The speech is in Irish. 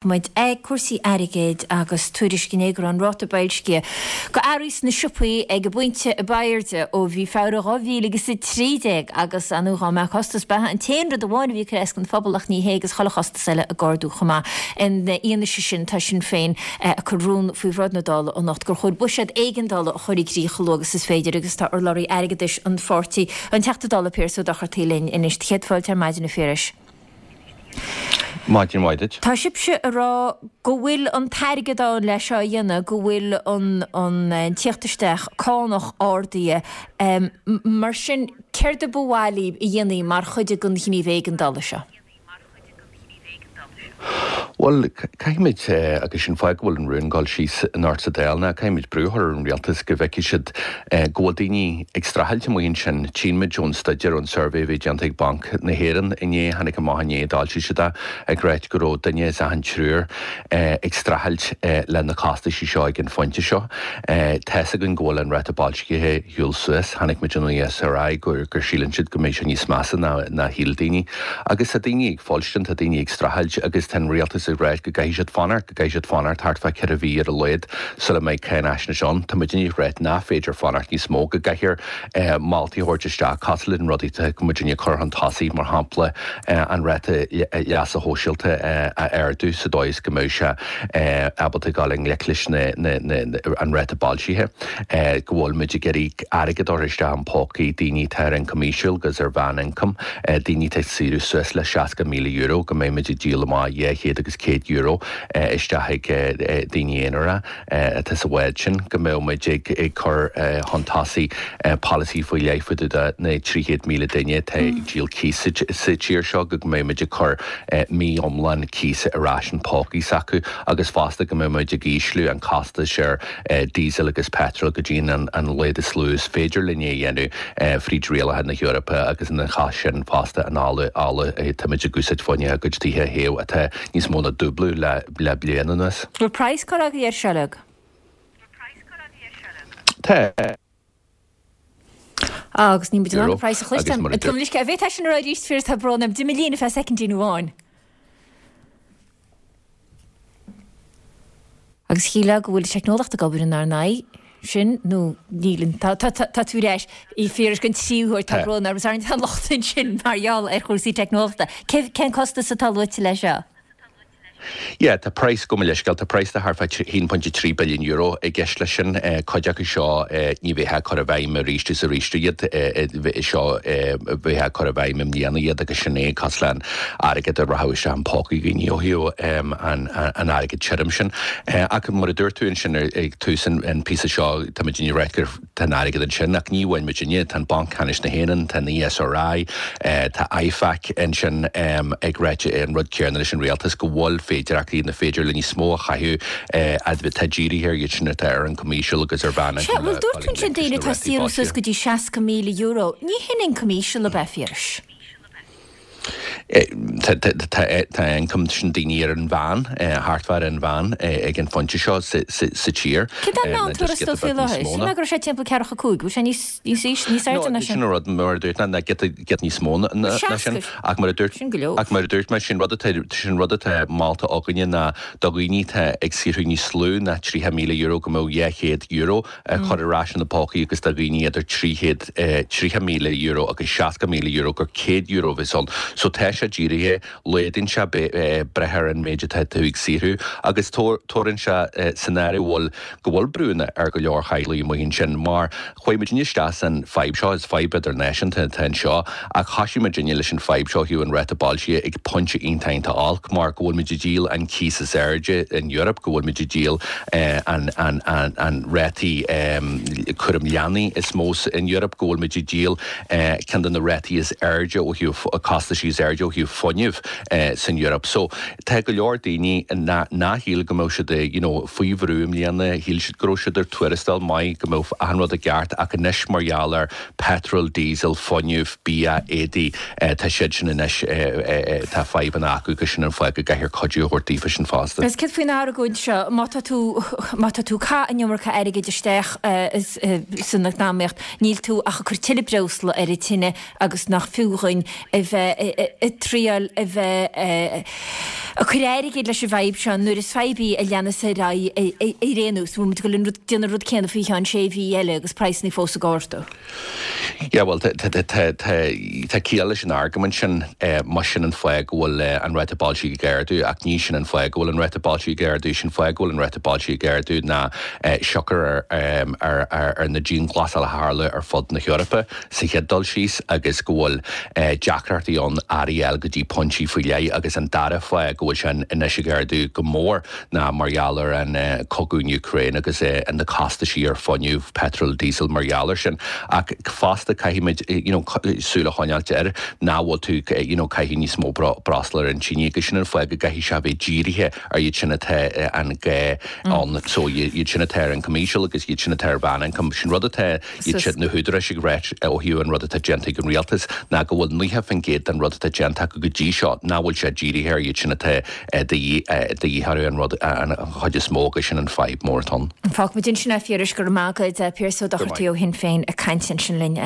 Muid ag cúrsaí airgid agus tuairisc inné go raibh an ráta boilscithe do earraí sna siopaí ag an bpointe ab airde ó mhí Feabhra 2013 agus ar ndóigh dá mbeadh costas beatha an t-aon rud amháin a bhí ag cur as don phobal ach ní hé agus chuile chostas eile ag ardú chomh maith. Ina fhianaise sin tá Sinn Féin ag cur rún faoi bhráid na Dála anocht gur chóir buiséad éigeandála a chur i gcrích chomh luath agus is féidir agus tá urlabhraí airgeadais an pháirtí, an Teachta Dála Piaras Ó Dochartaigh linn anois. Céad fáilte ar maidin a Phiarais. Maidin mhaith duit. Tá sibhse ag rá go bhfuil an t-airgead ann le seo a dhéanamh, go bhfuil an an tíocht isteach cánach ardaithe. Mar sin, céard a ba mhaith libh a dhéanamh mar chuid den ghníomh éigeandála seo? Bhuel, caithfimid, agus sin fáth go bhfuil an rún ag dul síos anocht sa Dáil, ná caithfimid brú a chur ar an rialtas go bhfeicfidh siad go bhfuil daoine ag streachailt amuigh ansin. Tchíonn muid ón staidéar, ón suirbhé a bhí déanta ag Banc na hÉireann inné, tháinig amach inné, d'fhoilsigh siad é, ag ráit go raibh duine as achan triúr ag streachailt le na costaisí seo ag an phointe seo. Tá's againn go bhfuil an ráta boilscithe ag siúl suas. Chonaic muid ón ESRI gur síleann siad go mbeidh sé níos measa ná shíl daoine. Agus tá daoine ag fuilstin, tá daoine ag streachailt agus tá an rialtas ag ráit go gcaithfidh siad fanacht, go gcaithfidh siad fanacht thart fá cheithre mhí ar a laghad sula mbeidh cáinaisnéis ann. Tá muidinne ag ráit nach féidir fanacht níos mó, go gcaithfear moltaí a thabhairt isteach cosúil leis na rudaí atá muidinne ag cur chun tosaigh, mar shampla an ráta leasa shóisialta a ardú sa dóigh is go mbeidh sé ábalta dul i ngleic leis an ráta boilscithe, go bhfuil muid ag iarraidh airgead a chur isteach in pócaí daoine atá ar ioncam íseal agus ar mheán-ioncam, daoine atá ag saothrú suas le €60,000, go mbeidh muid ag díol amach 200 agus €100 isteach ag daoine aonaracha atá sa bhád sin, go mbeidh muid ag cur chun tosaigh polasaí faoi leith fá dtaobh de na 300,000 duine atá ag díol cíos sa tír seo, go mbeidh muid ag cur mí iomlán cíosa ar ais in pócaí s'acu agus fosta go mbeidh muid ag ísliú an costais ar diesel agus petrol go dtí an laghad is lú is féidir linn é a dhéanamh fríd rialacha na hEorpa agus ina chás sin fosta an ola, ola tá muid ag úsáid fá choinne ár gcuid tithe a théamh atá níos mó ná dúblú le le bliain anuas. Bhfuil praghas curtha agaibh air seo uilig? Tá. Agus níl muid in ann an praghas a chloisteáil. Gabh mo leithscéal, an bhféadfá sin a rá arís, Phiarais, tá brón orm. D'imigh líne feadh soicindín amháin. Agus shílfeá go bhfuil teicneolaíocht ag obair inár n-aghaidh, sin nó níl an, tá, tá, tá tú ar ais, a Phiarais den tríú huair, tá brón orm, is ar an locht ansin mar gheall ar chúrsaí teicneolaíochta. Cén costas atá luaite leis seo? Yeah, tá praghas, gabh mo leithscéal, tá praghas de thart fá €1.3 billiún i gceist leis sin. Cuid acu seo ní bheifeá ag cur i bhfeidhm arís is arís iad, seo bheifeá ag cur i bhfeidhm i mbliana iad agus sin é, cosúil le an airgead a rachadh isteach in pócaí dhaoine ó thaobh an airgead tirim sin. Ach mar a dúirt tú ansin ag tús an phíosa seo, tá muid ag ráit gur Tá an airgead ansin, ach ní amháin muidinne, tá an Banc Ceannais na hÉireann, tá an ESRI, tá IFAC ansin ag ráit an rud céanna leis an rialtas, go bhfuil féidearthachtaí, na féidir le níos mó a chaitheamh atá dírithe ar iad sin atá ar ioncam íseal agus ar mheán Sea, bhuel dúirt tú ansin daoine atá ag saothrú suas go dtí €60,000, ní hin ioncam íseal ab ea, a Phiarais? Tá ioncam sin daoine ar an mheán, thart fá ar an mheán ag an phointe seo sa tír. Céard é an meán tuarastal faoi láthair? Shíl mé go raibh sé timpeall ceathracha 5, bhfuil sé níos níos airde ná sin? Sin an rud, mar a dúirt mé, ná giota níos mó ná sin. Ach mar a dúirt, Sin go leor. ach mar a dúirt mé, sin rud atá, sin rud atá molta againne ná do dhaoine atá ag saothrú níos lú ná €30,000 go mbeadh €200 a chur ar ais ina bpócaí agus do dhaoine idir €330,000 agus €60,000 gur €100 a bheas ann. So tá sé dírithe, laghdaíonn sé breith ar an méid atá tú ag saothrú agus tabharann sé san áireamh bhfuil, go bhfuil brúnna ar go leor theaghlaigh amuigh ansin mar chuaigh muidinne isteach san fadhb seo, is fadhb idirnáisiúnta atá anseo ach thoisigh muidinne leis an fadhb seo ó thaobh an ráta boilscithe ag pointe iontach iontach olc mar go bhfuil muid ag díol an cíos is airde in Europe, go bhfuil muid ag díol an rátaí cúram leanaí is mó in Europe, go bhfuil muid ag díol ceann de na rátaí is airde ó thaobh costaisí is airde ó thaobh fuinnimh san Europe. So tá go leor daoine nach shíl go mbeadh siad you know faoi bhrú i mbliana, shíl siad go raibh siad ar tuarastal maith, go mbeadh achan rud i gceart ach anois mar gheall ar petrol, diesel, fuinneamh, bia, éadaí, tá siad sin anois, tá fadhbanna acu agus sin an fáth go gcaithfear cuidiú a thabhairt daofa sin fosta. Agus céard faoin argóint seo, má tá tú, má tá tú ag caitheamh an iomarca airgid isteach san eacnamaíocht, níl tú ach ag cur tuilleadh breosla ar an tine agus nach fiú dhuinn a bheith. ag triáil a bheith ag cur airgid leis an bhfadhb seo nuair is fadhb í a leanas ar aghaidh ar aon nós. Bhfuil muid ag dul an déanamh an rud céanna faoi cheann sé mhí eile agus praghsanna fós ag ardú? Yeah, bhuel, tá ciall leis an argóint sin, más sin an fáth go bhfuil an ráta boilscithe ag ardú, ach ní sin an fáth go bhfuil an ráta boilscithe ag ardú. Sin fáth go bhfuil an ráta boilscithe ag ardú ná siocair ar na dianghlasáil a tharla ar fud na hEorpa sa chéad dul síos agus go bhfuil deacrachtaí ann earraí a fháil go dtí pointí faoi leith agus an dara fáth go bhfuil sé anois ag ardú go mór ná mar gheall ar an cogadh in Ukraine agus na costaisí ar fuinneamh, petrol, diesel, mar gheall ar sin. Ach fosta caithfimid you know súil a choinneáilt air nach bhfuil tú you know caitheamh níos mó breosla ar an tine agus sin an fáth go gcaithfidh sé a bheith dírithe ar iad sin atá an gá ann. So iad sin atá ar ioncam íseal agus iad sin atá ar mheánioncam. Sin rud atá iad sin, na húdaráis ag ráit ó thaobh an rud atá déanta ag an rialtas ná go bhfuil 90% den rud atá déanta acu go dtí seo nach bhfuil sé dírithe ar iad sin atá de dhíth orthu an rud an chuid is mó agus sin an fadhb mór atá ann. Fágfaimid ansin é a Phiarais, go raibh maith agat. Piaras Ó Dochartaigh ó Shinn Féin ag caint ansin linn.